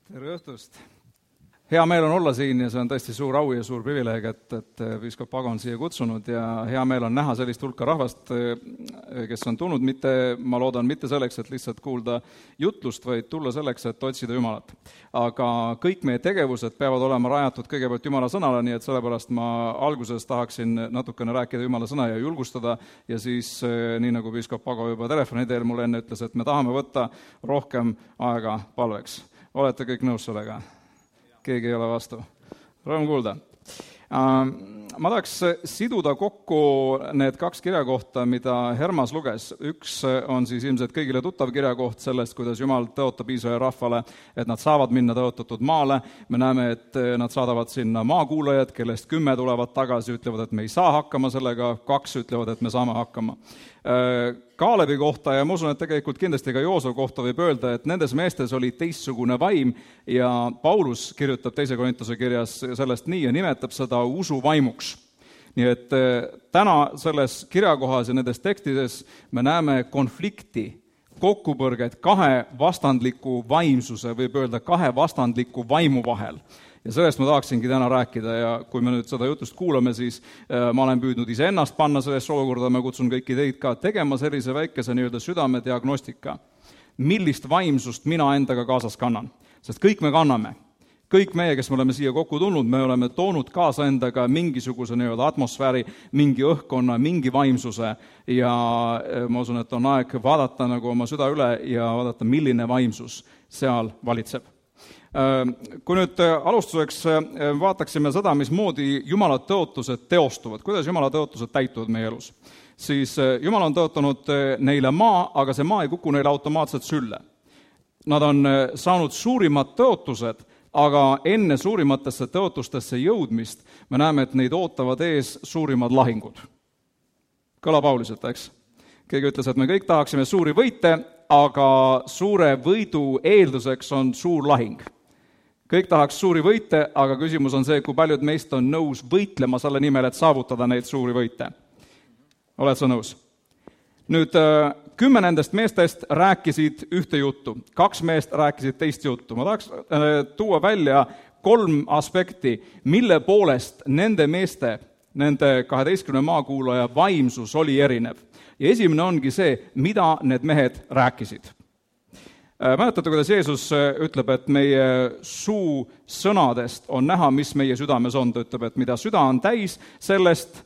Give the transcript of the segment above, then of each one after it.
Tere õhtust! Hea meel on olla siin ja see on tõesti suur au ja suur privileeg, et piiskop Pago on siia kutsunud ja hea meel on näha sellist hulka rahvast, kes on tulnud ma loodan, mitte selleks, et lihtsalt kuulda jutlust, vaid tulla selleks, et otsida Jumalat. Aga kõik meie tegevused peavad olema rajatud kõigepealt Jumala sõnale, nii et sellepärast ma alguses tahaksin natukene rääkida Jumala sõna ja julgustada ja siis, nii nagu piiskop Pago juba telefoni teel mulle enne ütles, et me tahame võtta rohkem aega palveks. Olete kõik nõus sellega? Keegi ei ole vastu. Rõõm kuulda. Ma tahaks siduda kokku need kaks kirjakohta, mida Hermas luges. Üks on siis ilmselt kõigile tuttav kirjakoht sellest, kuidas Jumal tõotab Iisraeli rahvale, et nad saavad minna tõotatud maale. Me näeme, et nad saadavad sinna maakuulajad, kellest 10 tulevad tagasi, ütlevad, et me ei saa hakkama sellega, 2 ütlevad, et me saame hakkama. Kaalebi kohta ja ma usun, et tegelikult kindlasti ka Joosua kohta võib öelda, et nendes meestes oli teistsugune vaim ja Paulus kirjutab 2. Korintuse kirjas sellest nii ja nimetab seda usuvaimuks. Nii et täna selles kirjakohas ja nendes tekstides me näeme konflikti, kokkupõrget 2 vastandliku vaimsuse, võib öelda 2 vastandliku vaimu vahel. Ja sellest ma tahaksingi täna rääkida ja kui me nüüd seda jutust kuulame, siis ma olen püüdnud iseennast panna sellesse olukorda, ma kutsun kõiki teid ka tegema sellise väikese nii-öelda südamediagnostika. Millist vaimsust mina endaga kaasas kannan? Sest kõik me kanname. Kõik meie, kes me oleme siia kokku tulnud, me oleme toonud kaasa endaga mingisuguse nii-öelda atmosfääri, mingi õhkkonna, mingi vaimsuse ja ma usun, et on aeg vaadata nagu oma süda üle ja vaadata, milline vaimsus seal valitseb. Kui nüüd alustuseks vaataksime seda, mismoodi Jumala tõotused teostuvad, kuidas Jumala tõotused täituvad meie elus, siis Jumal on tõotanud neile maa, aga see maa ei kuku neile automaatselt sülle. Nad on saanud suurimad tõotused, aga enne suurimatesse tõotustesse jõudmist me näeme, et neid ootavad ees suurimad lahingud. Kõlab auliselt, eks? Keegi ütles, et me kõik tahaksime suuri võite, aga suure võidu eelduseks on suur lahing. Kõik tahaks suuri võite, aga küsimus on see, kui paljud meist on nõus võitlema selle nimel, et saavutada neid suuri võite. Oled sa nõus? Nüüd 10 nendest meestest rääkisid ühte juttu, 2 meest rääkisid teist juttu. Ma tahaks tuua välja 3 aspekti, mille poolest nende meeste, nende 12 maakuulaja vaimsus oli erinev. Ja esimene ongi see, mida need mehed rääkisid. Mäletate, kuidas Jeesus ütleb, et meie suu sõnadest on näha, mis meie südames on. Ta ütleb, et mida süda on täis, sellest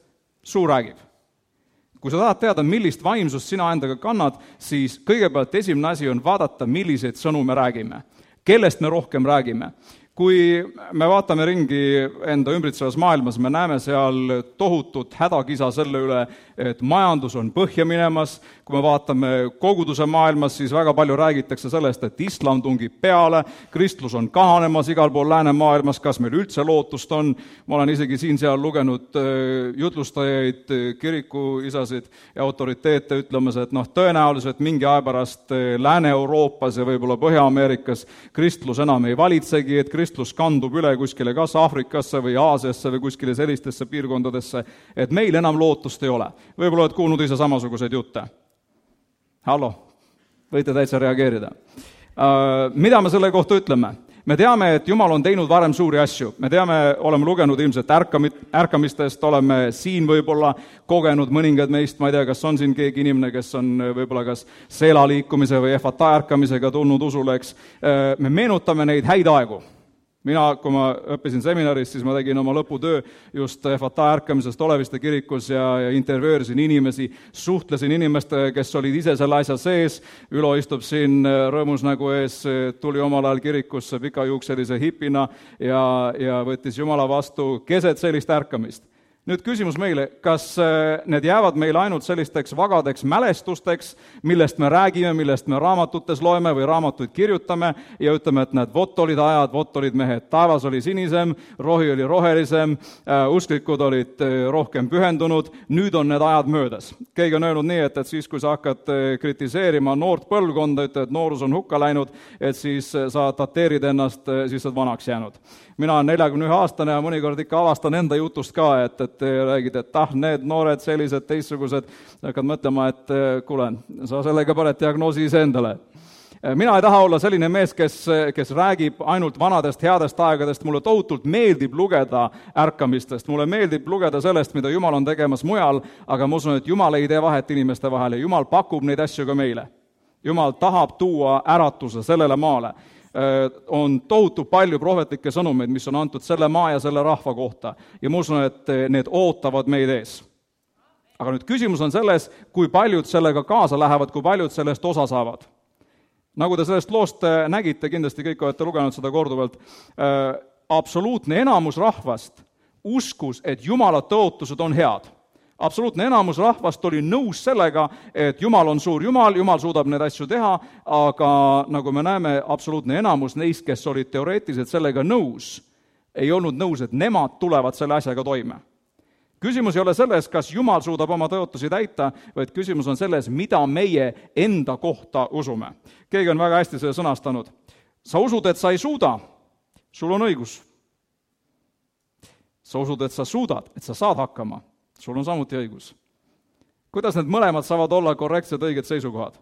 suu räägib. Kui sa tahad teada, millist vaimsust sina endaga kannad, siis kõigepealt esimene asi on vaadata, milliseid sõnu me räägime. Kellest me rohkem räägime? Kui me vaatame ringi enda ümbritsevas maailmas, me näeme seal tohutut hädakisa selle üle, et majandus on põhja minemas. Kui me vaatame koguduse maailmas, siis väga palju räägitakse sellest, et islam tungib peale, kristlus on kahanemas igal pool läänemaailmas, kas meil üldse lootust on. Ma olen isegi siin-seal lugenud jutlustajaid, kirikuisasid ja autoriteete ütlemas, et tõenäoliselt mingi aja pärast Lääne-Euroopas ja võib-olla Põhja-Ameerikas kristlus enam ei valitsegi, et kristlus kandub üle kuskile kas Aafrikasse või Aasiasse või kuskile sellistesse piirkondadesse, et meil enam lootust ei ole. Võib-olla oled kuulnud ise samasuguseid jutte. Hallo, võite täitsa reageerida. Mida me selle kohta ütleme? Me teame, et Jumal on teinud varem suuri asju. Me teame, oleme lugenud ilmselt ärkamistest, oleme siin võib-olla kogenud mõningad meist, ma ei tea, kas on siin keegi inimene, kes on võib-olla kas Seela liikumise või Efata ärkamisega tulnud usule, eks. Me meenutame neid häid aegu. Mina, kui ma õppisin seminaris, siis ma tegin oma lõputöö just Efata ärkamisest Oleviste kirikus ja intervöörisin inimesi, suhtlesin inimestega, kes olid ise selle asja sees. Ülo istub siin rõõmus nägu ees, tuli omal ajal kirikusse pikajuukselise hipina ja võttis Jumala vastu keset sellist ärkamist. Nüüd küsimus meile, kas need jäävad meile ainult sellisteks vagadeks mälestusteks, millest me räägime, millest me raamatutes loeme või raamatuid kirjutame ja ütleme, et need vot olid ajad, vot olid mehed, taevas oli sinisem, rohi oli rohelisem, usklikud olid rohkem pühendunud, nüüd on need ajad möödas. Keegi on öelnud nii, et siis kui sa hakkad kritiseerima noort põlvkonda, ütled, et noorus on hukka läinud, et siis sa dateerid ennast, siis sa vanaks jäänud. Mina olen 41-aastane ja mõnikord ikka avastan enda jutust ka, et räägid, et need noored sellised teistsugused, hakkad mõtlema, et kuule, sa sellega paned diagnoosi ise endale. Mina ei taha olla selline mees, kes räägib ainult vanadest headest aegadest, mulle tohutult meeldib lugeda ärkamistest, mulle meeldib lugeda sellest, mida Jumal on tegemas mujal, aga ma usun, et Jumal ei tee vahet inimeste vahel ja Jumal pakub neid asju ka meile. Jumal tahab tuua äratuse sellele maale. On tohutu palju prohvetlikke sõnumeid, mis on antud selle maa ja selle rahva kohta ja ma usun, et need ootavad meid ees. Aga nüüd küsimus on selles, kui paljud sellega kaasa lähevad, kui paljud sellest osa saavad. Nagu te sellest loost nägite, kindlasti kõik olete lugenud seda korduvalt, absoluutne enamus rahvast uskus, et Jumala tõotused on head. Absoluutne enamus rahvast oli nõus sellega, et Jumal on suur Jumal, Jumal suudab neid asju teha, aga nagu me näeme, absoluutne enamus neist, kes olid teoreetiliselt sellega nõus, ei olnud nõus, et nemad tulevad selle asjaga toime. Küsimus ei ole selles, kas Jumal suudab oma tõotusi täita, vaid küsimus on selles, mida meie enda kohta usume. Keegi on väga hästi selle sõnastanud. Sa usud, et sa ei suuda, sul on õigus. Sa usud, et sa suudad, et sa saad hakkama, sul on samuti õigus. Kuidas need mõlemad saavad olla korrektsed õiged seisukohad?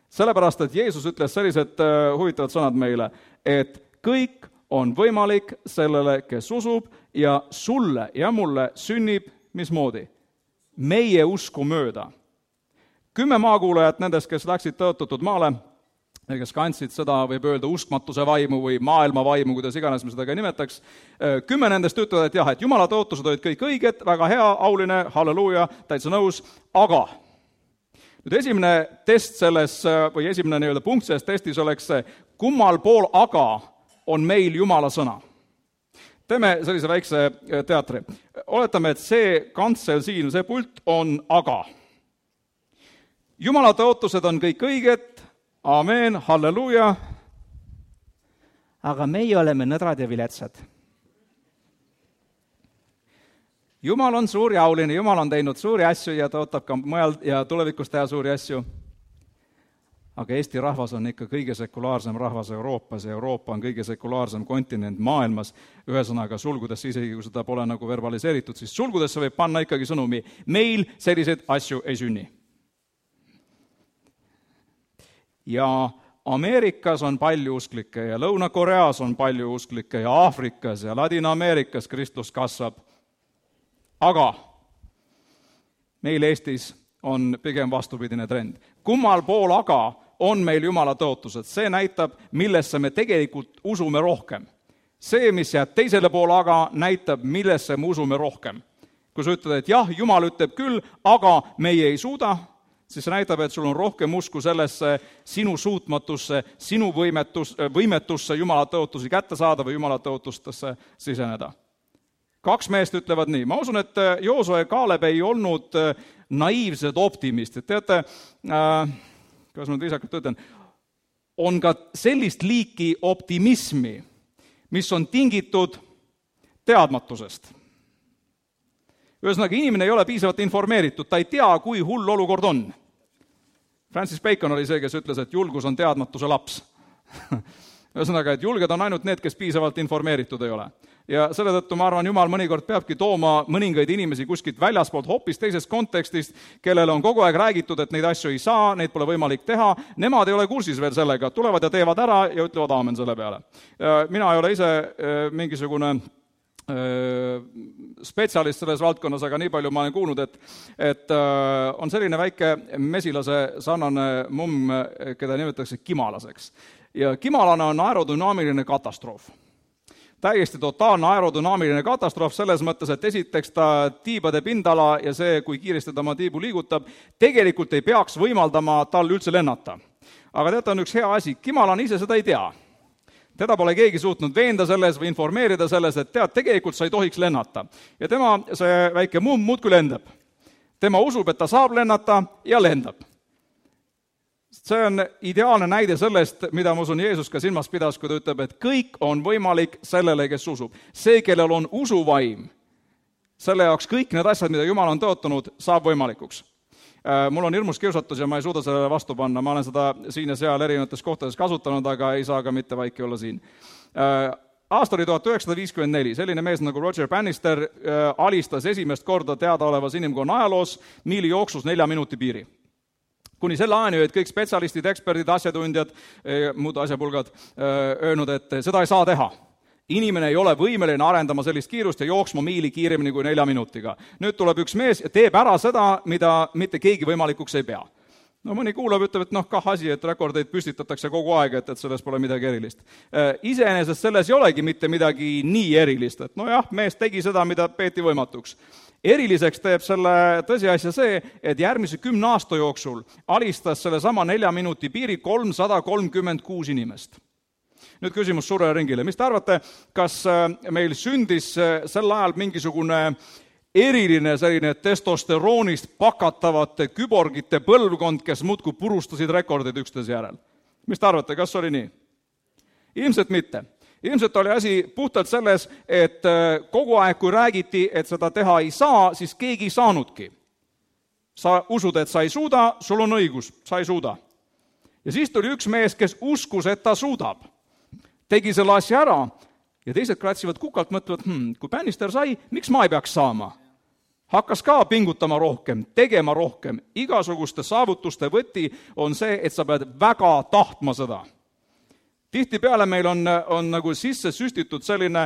Sellepärast, et Jeesus ütles sellised huvitavad sõnad meile, et kõik on võimalik sellele, kes usub, ja sulle ja mulle sünnib, mismoodi? Meie usku mööda. 10 maakuulajat nendest, kes läksid tõotatud maale, ja kes kandsid seda, võib öelda, uskmatuse vaimu või maailma vaimu, kuidas iganes me seda ka nimetaks, 10 nendest ütlevad, et jah, et Jumala tõotused olid kõik õiged, väga hea, auline, halleluuja, täitsa nõus, aga nüüd esimene test selles, või esimene nii-öelda punkt selles testis oleks see, kummal pool aga on meil Jumala sõna. Teeme sellise väikse teatri. Oletame, et see kantsel siin, see pult on aga. Jumala tõotused on kõik õiged, amen, halleluuja, aga meie oleme nõdrad ja viletsad. Jumal on suur ja auline, Jumal on teinud suuri asju ja tõotab ka mujal ja tulevikus teha suuri asju. Aga Eesti rahvas on ikka kõige sekulaarsem rahvas Euroopas ja Euroopa on kõige sekulaarsem kontinent maailmas. Ühesõnaga sulgudesse, isegi kui seda pole nagu verbaliseeritud, siis sulgudesse võib panna ikkagi sõnumi, meil selliseid asju ei sünni. Ja Ameerikas on palju usklikke ja Lõuna-Koreas on palju usklikke ja Aafrikas ja Ladina-Ameerikas Kristus kasvab. Aga meil Eestis on pigem vastupidine trend. Kummal pool aga on meil Jumala tõotused. See näitab, millesse me tegelikult usume rohkem. See, mis jääb teisele poole aga, näitab, millesse me usume rohkem. Kui sa ütled, et jah, Jumal ütleb küll, aga meie ei suuda, siis see näitab, et sul on rohkem usku sellesse sinu suutmatusse, sinu võimetusse Jumala tõotusi kätte saada või Jumala tõotustesse siseneda. 2 meest ütlevad nii. Ma usun, et Joosue ja Kaaleb ei olnud naiivsed optimistid. Teate, kuidas ma viisakalt ütlen, on ka sellist liiki optimismi, mis on tingitud teadmatusest. Ühesõnaga, inimene ei ole piisavalt informeeritud, ta ei tea, kui hull olukord on. Francis Bacon oli see, kes ütles, et julgus on teadmatuse laps. Ühesõnaga, et julged on ainult need, kes piisavalt informeeritud ei ole. Ja selle tõttu ma arvan, Jumal mõnikord peabki tooma mõningaid inimesi kuskilt väljaspoolt hoopis teisest kontekstist, kellele on kogu aeg räägitud, et neid asju ei saa, neid pole võimalik teha, nemad ei ole kursis veel sellega, tulevad ja teevad ära ja ütlevad aamen selle peale. Mina ei ole ise mingisugune spetsialist selles valdkonnas, aga nii palju ma olen kuulnud, et on selline väike mesilase sarnane mumm, keda nimetatakse kimalaseks. Ja kimalane on aerodünaamiline katastroof. Täiesti totaalne aerodünaamiline katastroof selles mõttes, et esiteks ta tiibade pindala ja see, kui kiiresti ta oma tiibu liigutab, tegelikult ei peaks võimaldama tal üldse lennata. Aga teate, on üks hea asi, kimalane ise seda ei tea. Teda pole keegi suutnud veenda selles või informeerida selles, et tegelikult sa ei tohiks lennata. Ja tema, see väike mumm muudkui lendab. Tema usub, et ta saab lennata ja lendab. See on ideaalne näide sellest, mida ma usun Jeesus ka silmas pidas, kui ta ütleb, et kõik on võimalik sellele, kes usub. See, kellel on usuvaim, selle jaoks kõik need asjad, mida Jumal on tõotanud, saab võimalikuks. Mul on hirmus kiusatus ja ma ei suuda sellele vastu panna. Ma olen seda siin ja seal erinevates kohtades kasutanud, aga ei saa ka mitte vaiki olla siin. Aasta oli 1954. Selline mees nagu Roger Bannister alistas esimest korda teadaolevas inimkonna ajaloos miili jooksus 4 minuti piiri. Kuni selle ajani olid kõik spetsialistid, eksperdid, asjatundjad, muud asjapulgad öelnud, et seda ei saa teha. Inimene ei ole võimeline arendama sellist kiirust ja jooksma miili kiiremini kui 4 minutiga. Nüüd tuleb üks mees ja teeb ära seda, mida mitte keegi võimalikuks ei pea. No mõni kuulab, ütleb, et kah asi, et rekordeid püstitatakse kogu aeg, et selles pole midagi erilist. Iseenesest selles ei olegi mitte midagi nii erilist, et nojah, mees tegi seda, mida peeti võimatuks. Eriliseks teeb selle tõsiasja see, et järgmise 10 aasta jooksul alistas selle sama 4 minuti piiri 336 inimest. Nüüd küsimus suurele ringile. Mis te arvate, kas meil sündis sel ajal mingisugune eriline selline testosteroonist pakatavate küborgite põlvkond, kes muudkui purustasid rekordid üksteise järel? Mis te arvate, kas oli nii? Ilmselt mitte. Ilmselt oli asi puhtalt selles, et kogu aeg, kui räägiti, et seda teha ei saa, siis keegi ei saanudki. Sa usud, et sa ei suuda, sul on õigus, sa ei suuda. Ja siis tuli üks mees, kes uskus, et ta suudab. Tegi selle asja ära ja teised kratsivad kukalt, mõtlevad, kui Bannister sai, miks ma ei peaks saama? Hakkas ka pingutama rohkem, tegema rohkem. Igasuguste saavutuste võti on see, et sa pead väga tahtma seda. Tihtipeale meil on nagu sisse süstitud selline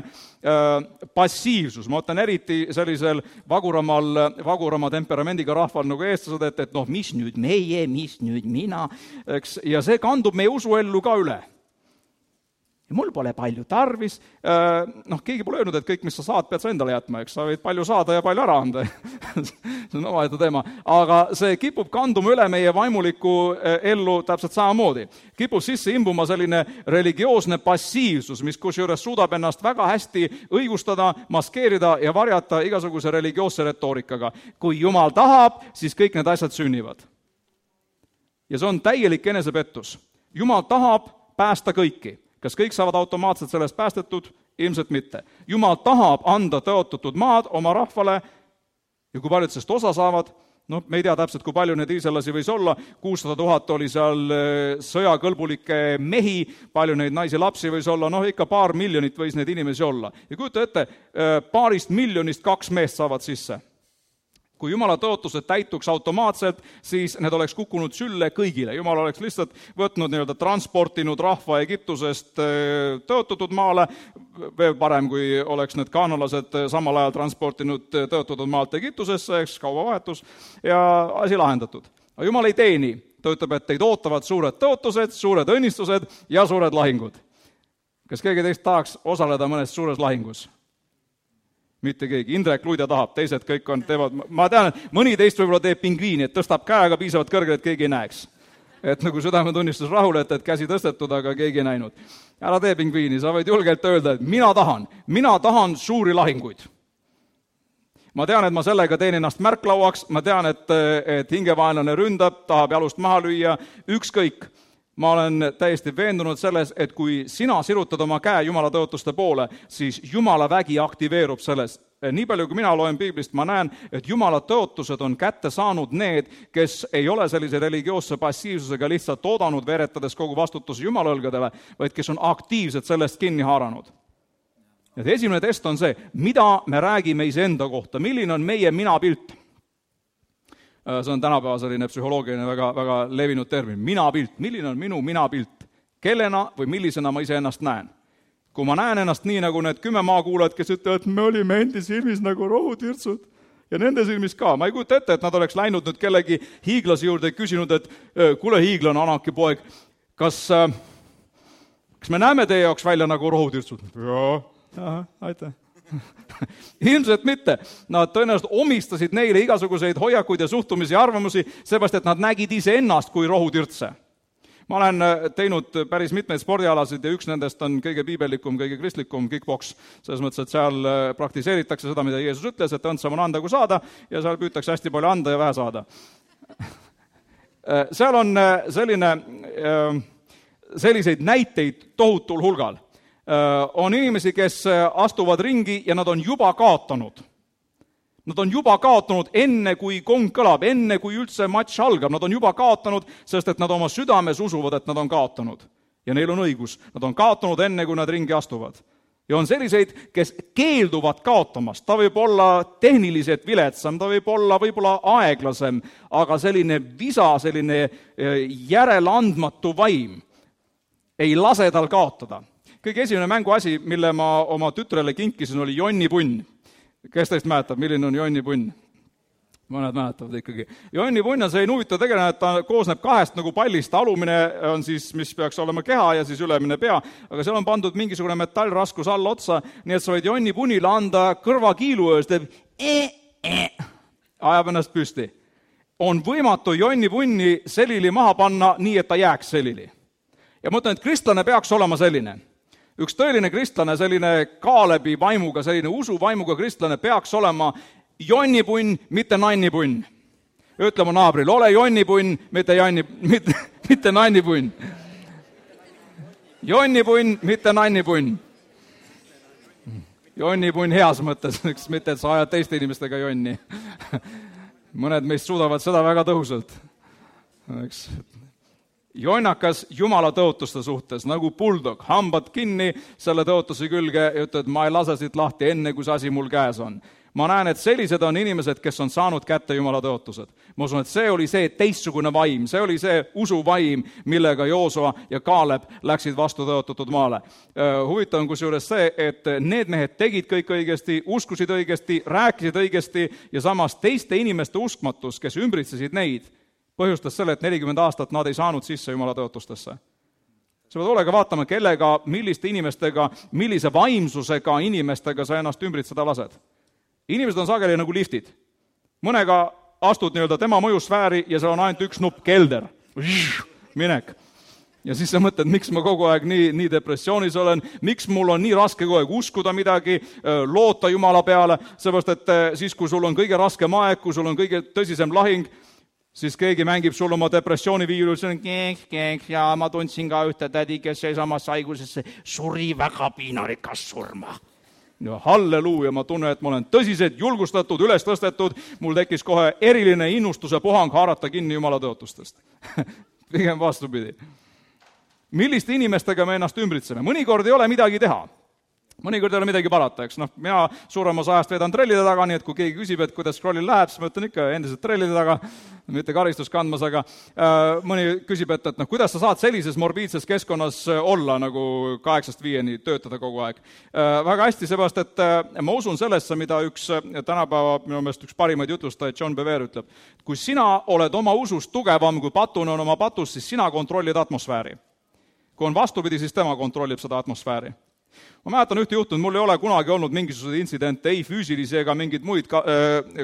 passiivsus. Ma mõtlen eriti sellisel vagurama temperamendiga rahval nagu eestlased, et mis nüüd meie, mis nüüd mina, eks? Ja see kandub meie usuellu ka üle. Ja mul pole palju tarvis, keegi pole öelnud, et kõik, mis sa saad, pead sa endale jätma, eks sa võid palju saada ja palju ära anda. See on omaette teema. Aga see kipub kanduma üle meie vaimulikku ellu täpselt samamoodi. Kipub sisse imbuma selline religioosne passiivsus, mis kusjuures suudab ennast väga hästi õigustada, maskeerida ja varjata igasuguse religioosse retoorikaga. Kui Jumal tahab, siis kõik need asjad sünnivad. Ja see on täielik enesepettus. Jumal tahab päästa kõiki. Kas kõik saavad automaatselt sellest päästetud? Ilmselt mitte. Jumal tahab anda tõotatud maad oma rahvale ja kui paljud sellest osa saavad, me ei tea täpselt, kui palju neid iiselasi võis olla, 600 000 oli seal sõjakõlbulikke mehi, palju neid naisi lapsi võis olla, ikka 2 miljonit võis neid inimesi olla. Ja kujuta ette, 2 miljonist 2 meest saavad sisse. Kui Jumala tõotused täituks automaatselt, siis need oleks kukkunud sülle kõigile. Jumal oleks lihtsalt võtnud transportinud rahva Egiptusest tõotatud maale, veel parem, kui oleks need kaanalased samal ajal transportinud tõotatud maalt Egiptusesse, eks kaubavahetus, ja asi lahendatud. Aga Jumal ei tee nii. Ta ütleb, et teid ootavad suured tõotused, suured õnnistused ja suured lahingud. Kas keegi teist tahaks osaleda mõnes suures lahingus? Mitte keegi. Indrek Luida tahab, teised kõik teevad. Ma tean, et mõni teist võib-olla teeb pingviini, et tõstab käega piisavalt kõrgele, et keegi ei näeks. Et nagu südametunnistus rahule, et käsi tõstetud, aga keegi ei näinud. Ära tee pingviini, sa võid julgelt öelda, et mina tahan suuri lahinguid. Ma tean, et ma sellega teen ennast märklauaks, ma tean, et hingevaenlane ründab, tahab jalust maha lüüa, ükskõik. Ma olen täiesti veendunud selles, et kui sina sirutad oma käe Jumala tõotuste poole, siis Jumala vägi aktiveerub selles. Nii palju, kui mina loen Piiblist, ma näen, et Jumala tõotused on kätte saanud need, kes ei ole sellise religioosse passiivsusega lihtsalt oodanud, veeretades kogu vastutuse Jumala õlgadele, vaid kes on aktiivselt sellest kinni haaranud. Ja esimene test on see, mida me räägime iseenda kohta, milline on meie minapilt. See on tänapäeva selline psühholoogiline väga levinud termin. Minapilt. Milline on minu minapilt? Kellena või millisena ma iseennast näen? Kui ma näen ennast nii, nagu need 10 maakuulajad, kes ütlevad, et me olime endi silmis nagu rohutirtsud ja nende silmis ka. Ma ei kujuta ette, et nad oleks läinud nüüd kellegi hiiglase juurde ja küsinud, et kuule hiiglane, Anaki poeg, kas me näeme teie jaoks välja nagu rohutirtsud? Jaa, aitäh. Ilmselt mitte. Nad tõenäoliselt omistasid neile igasuguseid hoiakuid ja suhtumisi ja arvamusi, seepärast, et nad nägid ise ennast kui rohutirtse. Ma olen teinud päris mitmeid spordialasid ja üks nendest on kõige piibellikum, kõige kristlikum kickboks. Selles mõttes, et seal praktiseeritakse seda, mida Jeesus ütles, et õndsam on anda kui saada ja seal püütakse hästi palju anda ja vähe saada. Seal on selliseid näiteid tohutul hulgal. On inimesi, kes astuvad ringi ja nad on juba kaotanud. Nad on juba kaotanud enne, kui kong kõlab, enne, kui üldse matš algab. Nad on juba kaotanud, sest et nad oma südames usuvad, et nad on kaotanud. Ja neil on õigus. Nad on kaotanud enne, kui nad ringi astuvad. Ja on selliseid, kes keelduvad kaotamast. Ta võib olla tehniliselt viletsam, ta võib olla võib-olla aeglasem, aga selline visa, selline järeleandmatu vaim ei lase tal kaotada. Kõige esimene mänguasi, mille ma oma tütrele kinkisin, oli jonnipunn. Kes teist mäletab, milline on jonnipunn? Mõned mäletavad ikkagi. Jonnipunn on selline huvitav tegelane, et ta koosneb kahest nagu pallist. Alumine on siis, mis peaks olema keha ja siis ülemine pea, aga seal on pandud mingisugune metallraskus alla otsa, nii et sa võid jonnipunnile anda kõrvakiilu öös, teeb ajab ennast püsti. On võimatu jonnipunni selili maha panna nii, et ta jääks selili. Ja ma ütlen, et kristlane peaks olema selline. Üks tõeline kristlane, selline Kaalebi vaimuga, selline usuvaimuga kristlane peaks olema jonnipunn, mitte nannipunn. Ütle mu naabril, ole jonnipunn, mitte nannipunn. Jonnipunn, mitte nannipunn. Jonnipunn heas mõttes, mitte et sa ajad teiste inimestega jonni. Mõned meist suudavad seda väga tõhusalt. Jonnakas Jumala tõotuste suhtes, nagu buldog, hambad kinni selle tõotuse külge ja ütled, ma ei lase siit lahti enne, kui see asi mul käes on. Ma näen, et sellised on inimesed, kes on saanud kätte Jumala tõotused. Ma usun, et see oli see teistsugune vaim, see oli see usuvaim, millega Joosua ja Kaaleb läksid vastu tõotatud maale. Huvitav on kusjuures see, et need mehed tegid kõik õigesti, uskusid õigesti, rääkisid õigesti ja samas teiste inimeste uskmatus, kes ümbritsesid neid, põhjustas selle, et 40 aastat nad ei saanud sisse Jumala tõotustesse. Sa pead hoolega vaatama, kellega, milliste inimestega, millise vaimsusega inimestega sa ennast ümbritseda lased. Inimesed on sageli nagu liftid. Mõnega astud nii-öelda tema mõjusfääri ja seal on ainult üks nupp, kelder. Minek. Ja siis sa mõtled, miks ma kogu aeg nii depressioonis olen, miks mul on nii raske kogu aeg uskuda midagi, loota Jumala peale, seepärast, et siis, kui sul on kõige raskem aeg, kui sul on kõige tõsisem lahing, siis keegi mängib sul oma depressiooniviirus, ja ma tundsin ka ühte tädi, kes seesamas haigusesse suri väga piinarikas surma. Ja halleluuja, ma tunnen, et ma olen tõsiselt julgustatud, üles tõstetud, mul tekkis kohe eriline innustuse puhang haarata kinni Jumala tõotustest. Pigem vastupidi. Milliste inimestega me ennast ümbritseme? Mõnikord ei ole midagi teha. Mõnikord ei ole midagi parata, eks. Mina suuremas ajast veedan trellide taga, nii et kui keegi küsib, et kuidas scrollil läheb, siis ma ütlen ikka endiselt trellide taga, mitte karistus kandmas, aga mõni küsib, et kuidas sa saad sellises morbiidses keskkonnas olla, nagu 8-5 töötada kogu aeg. Väga hästi, seepärast, et ma usun sellesse, mida üks tänapäeva, minu meelest üks parimaid jutlustajaid, John Bevere ütleb, kui sina oled oma usus tugevam, kui patune on oma patus, siis sina kontrollid atmosfääri. Kui on vastupidi, siis tema kontrollib seda atmosfääri. Ma mäletan ühte juhtunud, mul ei ole kunagi olnud mingisuguseid intsidente, ei füüsilisi ega mingeid muid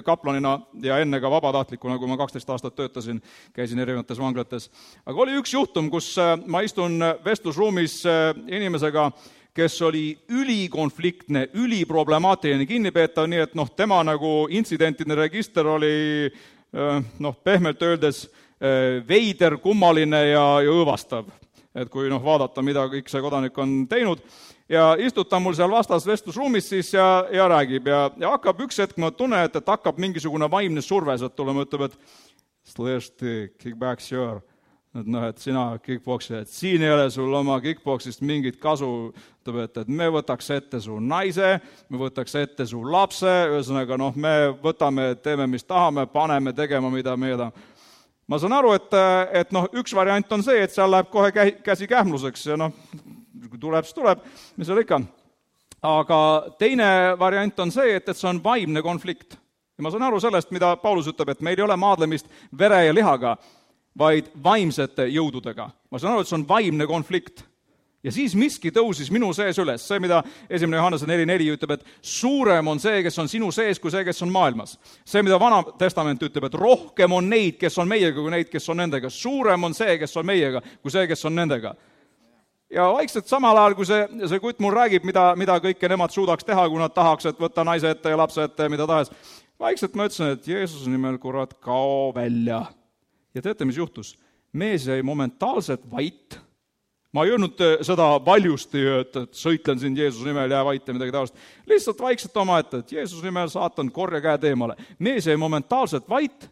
kaplanina ja enne ka vabatahtlikuna, kui ma 12 aastat töötasin, käisin erinevates vanglates. Aga oli üks juhtum, kus ma istun vestlusruumis inimesega, kes oli ülikonfliktne, üliproblemaatiline kinnipeetav, nii et tema nagu intsidentide register oli pehmelt öeldes veider, kummaline ja õõvastav. Et kui vaadata, mida kõik see kodanik on teinud, ja istutan mul seal vastas vestlusruumis siis ja räägib ja hakkab üks hetk, ma tunnen, et hakkab mingisugune vaimne surve sealt tulema, ütleb, et слышь ты, kickbacksjör, et sina kickboksi, et siin ei ole sul oma kickboksist mingit kasu, ütleb, et me võtaks ette su naise, me võtaks ette su lapse, ühesõnaga me võtame, teeme mis tahame, paneme tegema, mida me tahame. Ma saan aru, et üks variant on see, et seal läheb kohe käsi kähmluseks ja kui tuleb, siis tuleb, mis seal ikka. Aga teine variant on see, et see on vaimne konflikt. Ja ma saan aru sellest, mida Paulus ütleb, et meil ei ole maadlemist vere ja lihaga, vaid vaimsete jõududega. Ma saan aru, et see on vaimne konflikt. Ja siis miski tõusis minu sees üles. See, mida 1. Johannese 4.4 ütleb, et suurem on see, kes on sinu sees, kui see, kes on maailmas. See, mida Vana Testament ütleb, et rohkem on neid, kes on meiega, kui neid, kes on nendega. Suurem on see, kes on meiega, kui see, kes on nendega. Ja vaikselt samal ajal, kui see kutt mul räägib, mida kõike nemad suudaks teha, kui nad tahaks, et võtta naise ette ja lapse ette ja mida tahes. Vaikselt ma ütlesin, et Jeesuse nimel, kurat, kao välja. Ja teate, mis juhtus? Mees jäi momentaalselt vait. Ma ei öelnud seda valjusti, et sõitlen siin Jeesuse nimel, jää vait ja midagi taolist. Lihtsalt vaikselt oma ette, et Jeesuse nimel saatan korja käed eemale. Mees jäi momentaalselt vait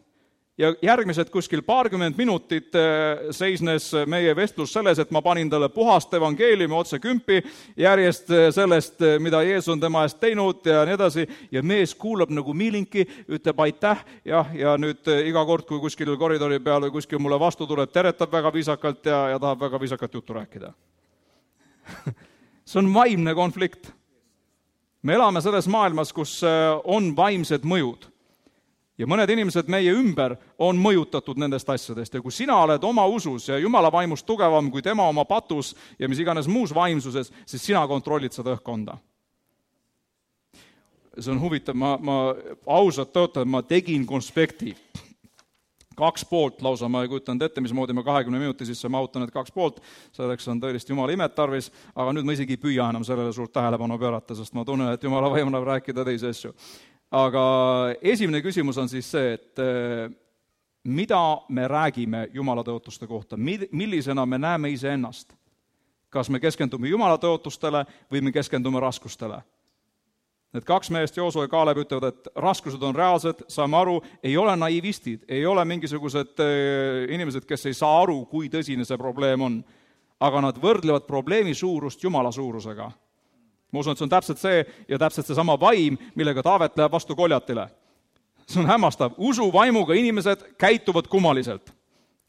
Ja järgmised kuskil 20 minutit seisnes meie vestlus selles, et ma panin talle puhast evangeeliumi otse kümpi järjest sellest, mida Jeesus on tema eest teinud ja nii edasi. Ja mees kuulab nagu miilinki, ütleb aitäh, ja nüüd iga kord, kui kuskil koridori peal või kuskil mulle vastu tuleb, teretab väga viisakalt ja tahab väga viisakat juttu rääkida. See on vaimne konflikt. Me elame selles maailmas, kus on vaimsed mõjud. Ja mõned inimesed meie ümber on mõjutatud nendest asjadest ja kui sina oled oma usus ja Jumala vaimust tugevam kui tema oma patus ja mis iganes muus vaimsuses, siis sina kontrollid seda õhkkonda. See on huvitav, ma ausalt töötan, ma tegin konspekti. 2 poolt lausa, ma ei kujutanud ette, mismoodi ma 20 minuti sisse mahutan need 2 poolt, selleks on tõeliselt Jumala imet tarvis, aga nüüd ma isegi ei püüa enam sellele suurt tähelepanu pöörata, sest ma tunnen, et Jumala vaim annab rääkida teisi asju. Aga esimene küsimus on siis see, et mida me räägime Jumala tõotuste kohta, millisena me näeme iseennast. Kas me keskendume Jumala tõotustele või me keskendume raskustele? Need 2 meest, Joosua ja Kaaleb, ütlevad, et raskused on reaalsed, saame aru, ei ole naivistid, ei ole mingisugused inimesed, kes ei saa aru, kui tõsine see probleem on, aga nad võrdlevad probleemi suurust Jumala suurusega. Ma usun, et see on täpselt see ja täpselt see sama vaim, millega Taavet läheb vastu Koljatile. See on hämmastav. Usu vaimuga inimesed käituvad kummaliselt.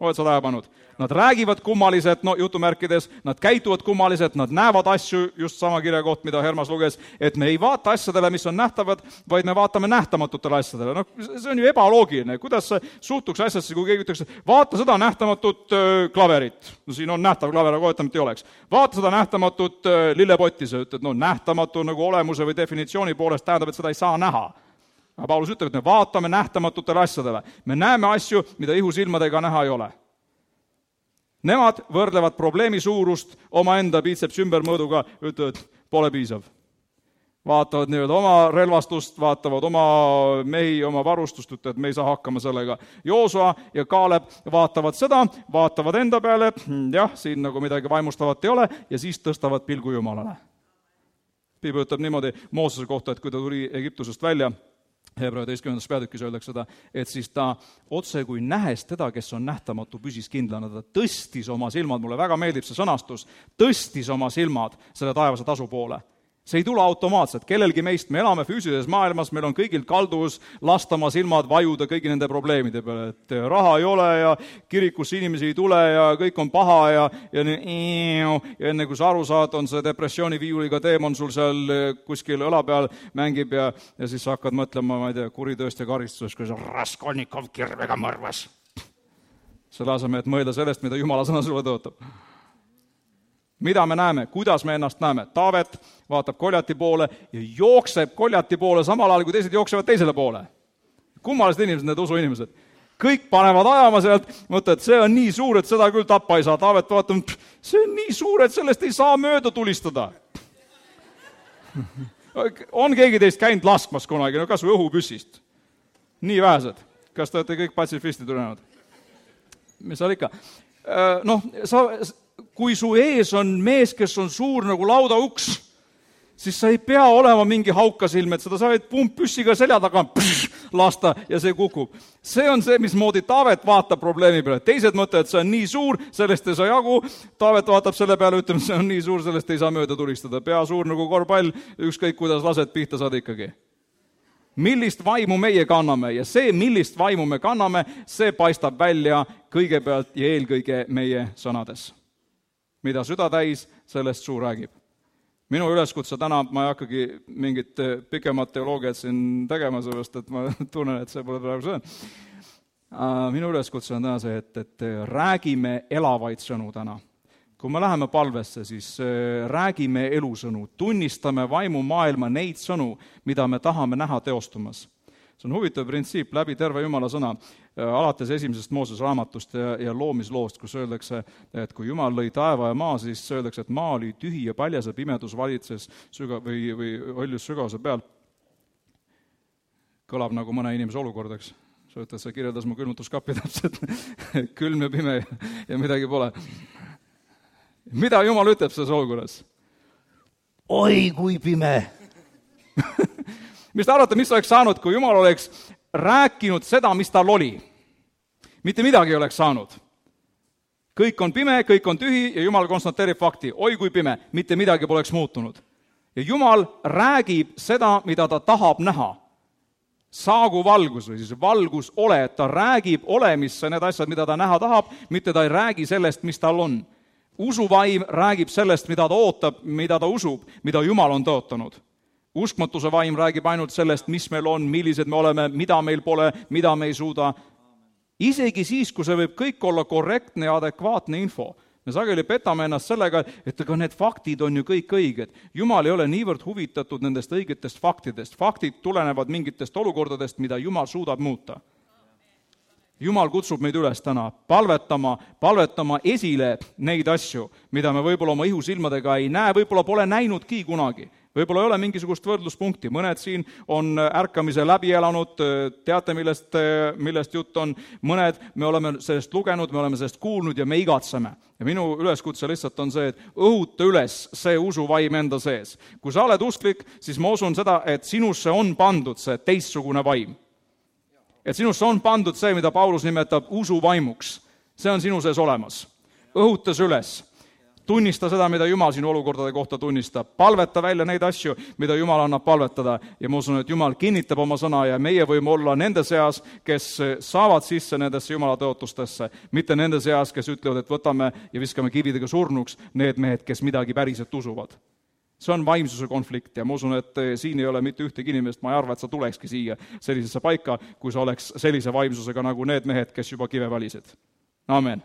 Oled sa tähelepanud? Nad räägivad kummaliselt, jutumärkides, nad käituvad kummaliselt, nad näevad asju, just sama kirjakoht, mida Hermas luges, et me ei vaata asjadele, mis on nähtavad, vaid me vaatame nähtamatutele asjadele. See on ju ebaloogiline. Kuidas sa suhtuks asjasse, kui keegi ütleks, vaata seda nähtamatut klaverit. Siin on nähtav klaver, aga ootamata ei oleks. Vaata seda nähtamatut lillepotti, sa ütled, nähtamatu nagu olemuse või definitsiooni poolest tähendab, et seda ei saa näha. Aga Paulus ütleb, et me vaatame nähtamatutele asjadele. Me näeme asju, mida ihusilmadega näha ei ole. Nemad võrdlevad probleemi suurust omaenda biitseps ümbermõõduga, ütlevad, pole piisav. Vaatavad nii-öelda oma relvastust, vaatavad oma mehi, oma varustust, ütlevad, me ei saa hakkama sellega. Joosua ja Kaaleb vaatavad seda, vaatavad enda peale, jah, siin nagu midagi vaimustavat ei ole, ja siis tõstavad pilgu Jumalale. Piibel ütleb niimoodi Moosese kohta, et kui ta tuli Egiptusest välja, Hebra 11. peatükis öeldakse seda, et siis ta otse kui nähes teda, kes on nähtamatu, püsis kindlana, ta tõstis oma silmad, mulle väga meeldib see sõnastus, tõstis oma silmad selle taevase tasu poole. See ei tule automaatselt, kellelgi meist, me elame füüsilises maailmas, meil on kõigil kalduvus lastama silmad vajuda kõigi nende probleemide peale, et raha ei ole ja kirikusse inimesi ei tule ja kõik on paha ja enne kui sa aru saad, on see depressiooni viiuliga teemon sul seal kuskil õla peal mängib ja siis sa hakkad mõtlema, ma ei tea, kuritööst ja karistusest, kui see Raskolnikov kirvega mõrvas. Selle asemel, et mõelda sellest, mida Jumala sõna sulle tõotab. Mida me näeme? Kuidas me ennast näeme? Taavet vaatab Koljati poole ja jookseb Koljati poole samal ajal, kui teised jooksevad teisele poole. Kummalised inimesed, need usuinimesed. Kõik panevad ajama sealt, mõtled, see on nii suur, et seda küll tappa ei saa. Taavet vaatab, see on nii suur, et sellest ei saa mööda tulistada. On keegi teist käinud laskmas kunagi, kas või õhupüssist? Nii vähesed. Kas te olete kõik patsifistid ülenenud? Mis seal ikka? Kui su ees on mees, kes on suur nagu laudauks, siis sa ei pea olema mingi haukasilm, et seda sa võid pumppüssiga selja taga lasta ja see kukub. See on see, mismoodi Taavet vaatab probleemi peale. Teised mõtlevad, et see on nii suur, sellest ei saa jagu. Taavet vaatab selle peale, ütleb, see on nii suur, sellest ei saa mööda tulistada. Pea suur nagu korvpall, ükskõik kuidas lased pihta saad ikkagi. Millist vaimu meie kanname ja see, millist vaimu me kanname, see paistab välja kõigepealt ja eelkõige meie sõnades. Mida süda täis, sellest suu räägib. Minu üleskutse täna, ma ei hakkagi mingit pikemat teoloogiat siin tegema, sellest, et ma tunnen, et see pole praegu see. Minu üleskutse on täna see, et räägime elavaid sõnu täna. Kui me läheme palvesse, siis räägime elusõnu, tunnistame vaimu maailma neid sõnu, mida me tahame näha teostumas. See on huvitav printsiip läbi terve Jumala sõna, alates 1. Mooses raamatust ja loomisloost, kus öeldakse, et kui Jumal lõi taeva ja maa, siis öeldakse, et maa oli tühi ja paljas ja pimedus valitses või oljus sügavuse peal. Kõlab nagu mõne inimese olukord, eks. Sa ütled, see kirjeldas mu külmutuskappi täpselt, külm ja pime ja midagi pole. Mida Jumal ütleb selles olukorras? Oi, kui pime! Mis te arvate, mis oleks saanud, kui Jumal oleks rääkinud seda, mis tal oli? mitte midagi ei oleks saanud. Kõik on pime, kõik on tühi ja Jumal konstateerib fakti, oi kui pime, mitte midagi poleks muutunud. Ja Jumal räägib seda, mida ta tahab näha. Saagu valgus või siis valgus ole, et ta räägib olemisse need asjad, mida ta näha tahab, mitte ta ei räägi sellest, mis tal on. Usuvaim räägib sellest, mida ta ootab, mida ta usub, mida Jumal on tõotanud. Uskmatuse vaim räägib ainult sellest, mis meil on, millised me oleme, mida meil pole, mida me ei suuda. Isegi siis, kui see võib kõik olla korrektne ja adekvaatne info, me sageli petame ennast sellega, et aga need faktid on ju kõik õiged. Jumal ei ole niivõrd huvitatud nendest õigetest faktidest. Faktid tulenevad mingitest olukordadest, mida Jumal suudab muuta. Jumal kutsub meid üles täna palvetama esile neid asju, mida me võib-olla oma ihusilmadega ei näe, võib-olla pole näinudki kunagi. Võib-olla ei ole mingisugust võrdluspunkti. Mõned siin on ärkamise läbi elanud, teate, millest jutt on. Mõned me oleme sellest lugenud, me oleme sellest kuulnud ja me igatseme. Ja minu üleskutse lihtsalt on see, et õhuta üles see usuvaim enda sees. Kui sa oled usklik, siis ma usun seda, et sinusse on pandud see teistsugune vaim. Et sinusse on pandud see, mida Paulus nimetab usuvaimuks. See on sinu sees olemas. Õhutas üles. Tunnista seda, mida Jumal sinu olukordade kohta tunnistab. Palveta välja neid asju, mida Jumal annab palvetada. Ja ma usun, et Jumal kinnitab oma sõna ja meie võime olla nende seas, kes saavad sisse nendesse Jumala tõotustesse, mitte nende seas, kes ütlevad, et võtame ja viskame kividega surnuks need mehed, kes midagi päriselt usuvad. See on vaimsuse konflikt ja ma usun, et siin ei ole mitte ühtegi inimest, ma ei arva, et sa tulekski siia sellisesse paika, kui sa oleks sellise vaimsusega nagu need mehed, kes juba kive valisid. Amen.